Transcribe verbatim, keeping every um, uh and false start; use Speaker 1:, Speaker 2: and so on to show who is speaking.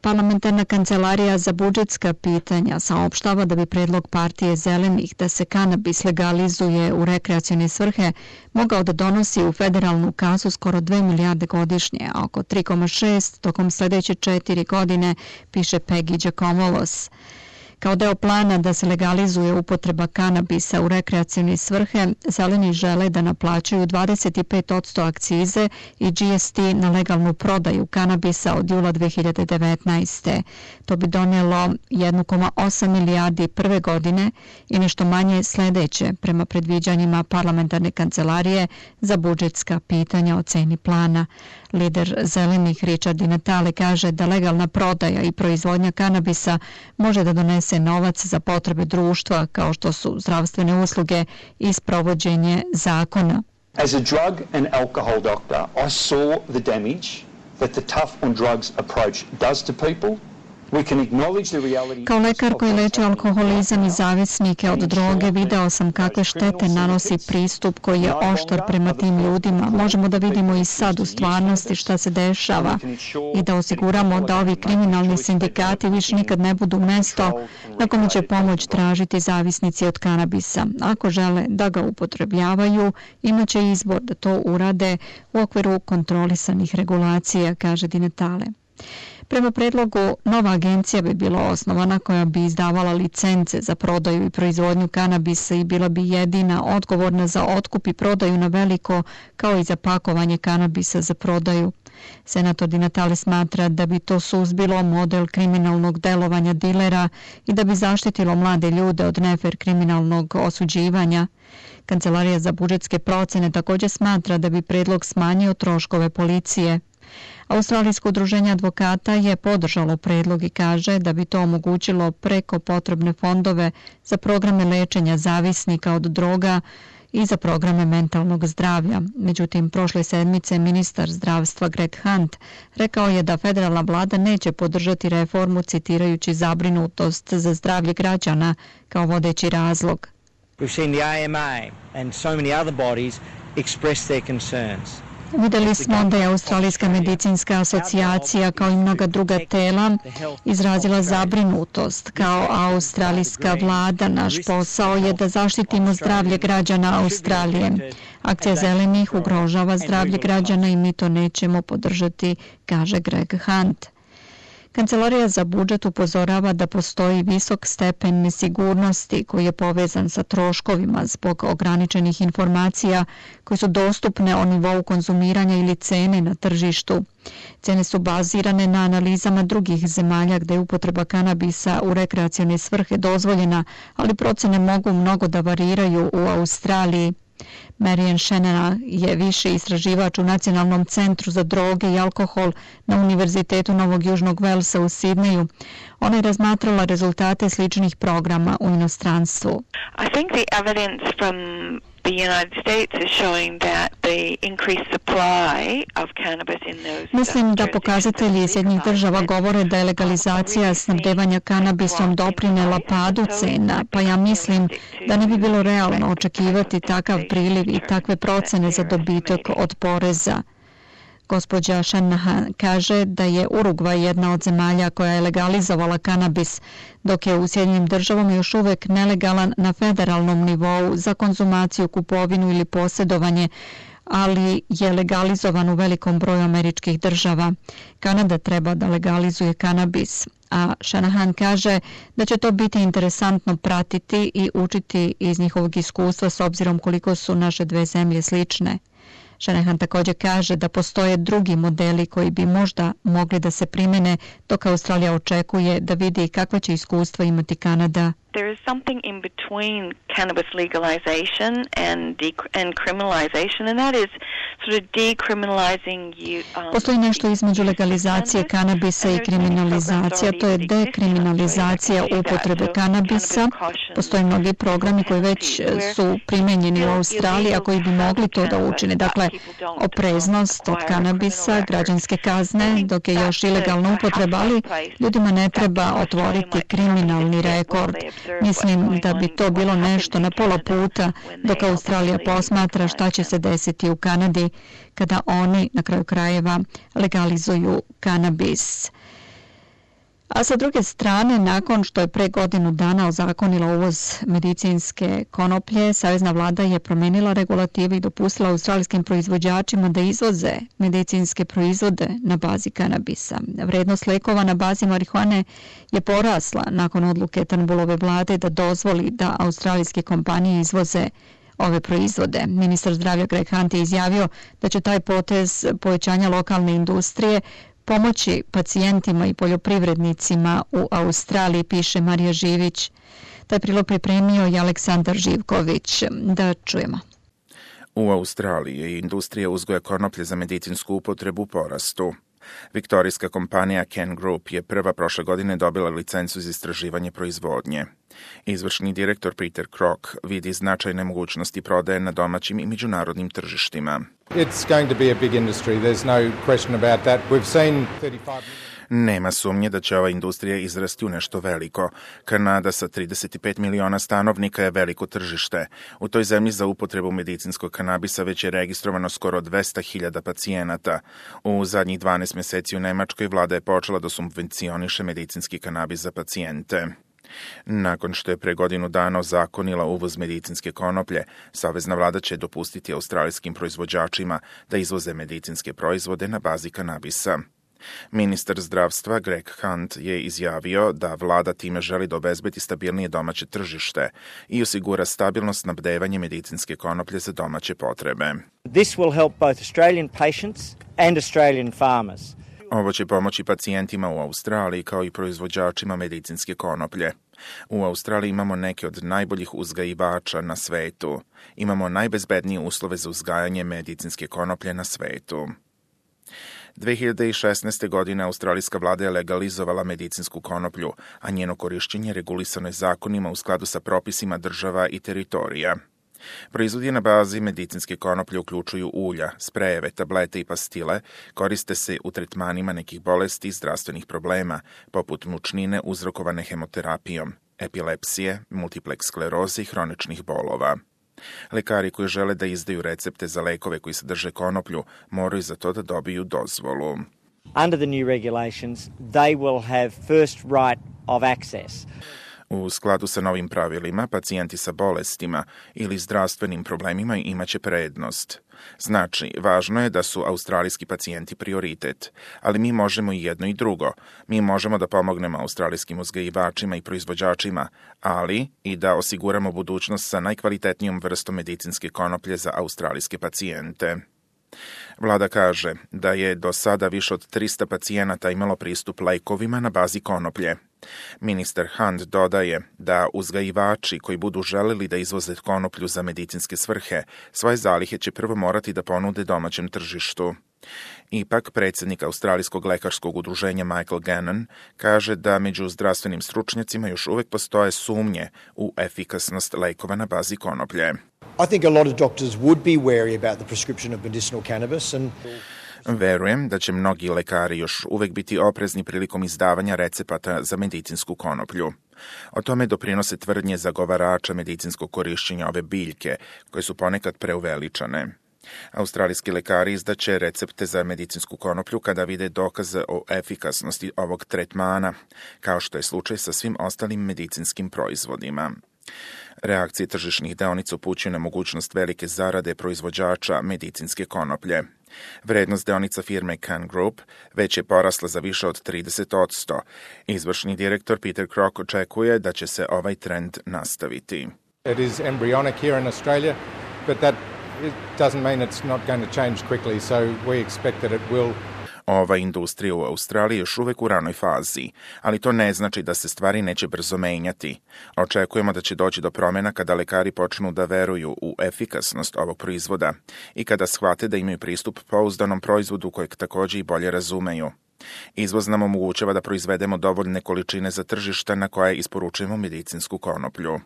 Speaker 1: Parlamentarna kancelarija za budžetska pitanja saopštava da bi predlog partije Zelenih da se kanabis legalizuje u rekreacione svrhe mogao da donosi u federalnu kasu skoro dve milijarde godišnje, a oko tri zarez šest tokom sledeće četiri godine, piše Peggy Giacomolos. Kao deo plana da se legalizuje upotreba kanabisa u rekreacione svrhe, Zeleni žele da naplaćuju dvadeset pet posto akcize i G S T na legalnu prodaju kanabisa od jula dve hiljade devetnaeste. To bi donelo jedan zarez osam milijardi prve godine i nešto manje sledeće, prema predviđanjima parlamentarne kancelarije za budžetska pitanja o ceni plana. Lider Zelenih Richard Di Natale kaže da legalna prodaja i proizvodnja kanabisa može da donese novac za potrebe društva kao što su zdravstvene usluge i sprovođenje zakona.
Speaker 2: As a drug and alcohol doctor, I saw the damage that the tough on drugs approach does to people.
Speaker 1: Kao lekar koji leči alkoholizam i zavisnike od droge, video sam kakve štete nanosi pristup koji je oštar prema tim ljudima. Možemo da vidimo i sad u stvarnosti šta se dešava i da osiguramo da ovi kriminalni sindikati više nikad ne budu mesto na kome će pomoć tražiti zavisnici od kanabisa. Ako žele da ga upotrebljavaju, imaće izbor da to urade u okviru kontrolisanih regulacija, kaže Di Natale. Prema predlogu, nova agencija bi bila osnovana koja bi izdavala licence za prodaju i proizvodnju kanabisa i bila bi jedina odgovorna za otkup i prodaju na veliko, kao i za pakovanje kanabisa za prodaju. Senator Di Natale smatra da bi to suzbilo model kriminalnog delovanja dilera i da bi zaštitilo mlade ljude od nefer kriminalnog osuđivanja. Kancelarija za budžetske procene također smatra da bi predlog smanjio troškove policije. Australijsko udruženje advokata je podržalo predlog i kaže da bi to omogućilo preko potrebne fondove za programe lečenja zavisnika od droga i za programe mentalnog zdravlja. Međutim, prošle sedmice ministar zdravstva Greg Hunt rekao je da federalna vlada neće podržati reformu citirajući zabrinutost za zdravlje građana kao vodeći razlog.
Speaker 3: We've seen the A M A and so many other bodies express their concerns.
Speaker 1: Videli smo da je Australijska medicinska asocijacija kao i mnoga druga tela izrazila zabrinutost. Kao australijska vlada naš posao je da zaštitimo zdravlje građana Australije. Akcija Zelenih ugrožava zdravlje građana i mi to nećemo podržati, kaže Greg Hunt. Kancelarija za budžet upozorava da postoji visok stepen nesigurnosti koji je povezan sa troškovima zbog ograničenih informacija koje su dostupne o nivou konzumiranja ili cene na tržištu. Cene su bazirane na analizama drugih zemalja gde je upotreba kanabisa u rekreacione svrhe dozvoljena, ali procene mogu mnogo da variraju u Australiji. Marian Shannon je viši istraživač u Nacionalnom centru za droge i alkohol na Univerzitetu Novog Južnog Velsa u Sidneju. Ona je razmatrala rezultate sličnih programa u inostranstvu.
Speaker 4: I think the evidence from the United States is showing that the increased supply of cannabis in those
Speaker 1: Mislim da pokazatelji Sjedinjenih država govore da je legalizacija snabdevanja kanabisom doprinela padu cena, pa ja mislim da ne bi bilo realno očekivati takav priliv i takve procene za dobitak od poreza. Gospođa Shanahan kaže da je Urugvaj jedna od zemalja koja je legalizovala kanabis, dok je u Sjedinjenim državama još uvek nelegalan na federalnom nivou za konzumaciju, kupovinu ili posjedovanje, ali je legalizovan u velikom broju američkih država. Kanada treba da legalizuje kanabis, a Shanahan kaže da će to biti interesantno pratiti i učiti iz njihovog iskustva s obzirom koliko su naše dve zemlje slične. Shanahan također kaže da postoje drugi modeli koji bi možda mogli da se primene, dok Australija očekuje da vidi kakva će iskustva imati Kanada.
Speaker 4: There is something in between cannabis legalization and de- and criminalization, and that is sort of decriminalizing you. Um,
Speaker 1: Postoji nešto između legalizacije kanabisa i kriminalizacija, to je dekriminalizacija upotrebe kanabisa. Postoje mnogi programi koji već su primenjeni u Australiji, a koji bi mogli to da učine. Dakle, opreznost od kanabisa, građanske kazne, dok je još ilegalna upotreba, ali ljudima ne treba otvoriti kriminalni rekord. Mislim da bi to bilo nešto na pola puta dok Australija posmatra šta će se desiti u Kanadi kada oni na kraju krajeva legalizuju kanabis. A sa druge strane, nakon što je pre godinu dana ozakonila uvoz medicinske konoplje, savezna vlada je promenila regulativu i dopustila australijskim proizvođačima da izvoze medicinske proizvode na bazi kanabisa. Vrednost lekova na bazi marihuane je porasla nakon odluke Turnbullove vlade da dozvoli da australijske kompanije izvoze ove proizvode. Ministar zdravlja Greg Hunt je izjavio da će taj potez povećanja lokalne industrije pomoći pacijentima i poljoprivrednicima u Australiji, piše Marija Živić. Taj prilog pripremio je Aleksandar Živković. Da čujemo.
Speaker 5: U Australiji je industrija uzgoja konoplje za medicinsku upotrebu u porastu. Viktorijska kompanija Ken Group je prva prošle godine dobila licencu za istraživanje proizvodnje. Izvršni direktor Peter Crock vidi značajne mogućnosti prodaje na domaćim i međunarodnim tržištima.
Speaker 6: It's going to be a big industry. There's no question about that. We've seen thirty-five
Speaker 5: Nema sumnje da će ova industrija izrasti u nešto veliko. Kanada sa trideset pet miliona stanovnika je veliko tržište. U toj zemlji za upotrebu medicinskog kanabisa već je registrovano skoro dvesta hiljada pacijenata. U zadnjih dvanaest meseci u Nemačkoj vlada je počela da subvencioniše medicinski kanabis za pacijente. Nakon što je pre godinu dana ozakonila uvoz medicinske konoplje, savezna vlada će dopustiti australijskim proizvođačima da izvoze medicinske proizvode na bazi kanabisa. Ministar zdravstva Greg Hunt je izjavio da vlada time želi da obezbedi stabilnije domaće tržište i osigura stabilno snabdevanje medicinske konoplje za domaće potrebe.
Speaker 3: This will help both Australian patients and Australian farmers.
Speaker 5: Ovo će pomoći pacijentima u Australiji kao i proizvođačima medicinske konoplje. U Australiji imamo neke od najboljih uzgajivača na svetu. Imamo najbezbednije uslove za uzgajanje medicinske konoplje na svetu. dve hiljade šesnaeste. godine australijska vlada je legalizovala medicinsku konoplju, a njeno korišćenje regulisano je zakonima u skladu sa propisima država i teritorija. Proizvodi na bazi medicinske konoplje uključuju ulja, sprejeve, tablete i pastile, koriste se u tretmanima nekih bolesti i zdravstvenih problema, poput mučnine uzrokovane hemoterapijom, epilepsije, multiple skleroze i hroničnih bolova. Lekari koji žele da izdaju recepte za lekove koji sadrže konoplju moraju za to da dobiju dozvolu.
Speaker 3: Under the new regulations, they will have first right of access.
Speaker 5: U skladu sa novim pravilima, pacijenti sa bolestima ili zdravstvenim problemima imaće prednost. Znači, važno je da su australijski pacijenti prioritet, ali mi možemo i jedno i drugo. Mi možemo da pomognemo australijskim uzgajivačima i proizvođačima, ali i da osiguramo budućnost sa najkvalitetnijom vrstom medicinske konoplje za australijske pacijente. Vlada kaže da je do sada više od trista pacijenata imalo pristup lekovima na bazi konoplje. Ministar Hunt dodaje da uzgajivači koji budu želeli da izvoze konoplju za medicinske svrhe, svoje zalihe će prvo morati da ponude domaćem tržištu. Ipak, predsjednik Australijskog lekarskog udruženja Michael Gannon kaže da među zdravstvenim stručnjacima još uvek postoje sumnje u efikasnost lekova na bazi konoplje.
Speaker 7: I think a lot of doctors would be wary about the prescription of medicinal cannabis and
Speaker 5: Verujem da će mnogi lekari još uvek biti oprezni prilikom izdavanja recepata za medicinsku konoplju. O tome doprinose tvrdnje zagovarača medicinskog korišćenja ove biljke, koje su ponekad preuveličane. Australijski lekari izdaće recepte za medicinsku konoplju kada vide dokaze o efikasnosti ovog tretmana, kao što je slučaj sa svim ostalim medicinskim proizvodima. Reakcije tržišnih deonica upućuju na mogućnost velike zarade proizvođača medicinske konoplje. Vrednost deonica firme Ken Group već je porasla za više od trideset posto. Izvršni direktor Peter Crock očekuje da će se ovaj trend nastaviti.
Speaker 6: It is embryonic here in Australia, but that it doesn't mean it's not going to change quickly, so we expect that it will.
Speaker 5: Ova industrija u Australiji je još uvek u ranoj fazi, ali to ne znači da se stvari neće brzo menjati. Očekujemo da će doći do promjena kada lekari počnu da veruju u efikasnost ovog proizvoda i kada shvate da imaju pristup pouzdanom proizvodu kojeg također i bolje razumeju. Izvoz nam omogućava da proizvedemo dovoljne količine za tržišta na koje isporučujemo medicinsku konoplju.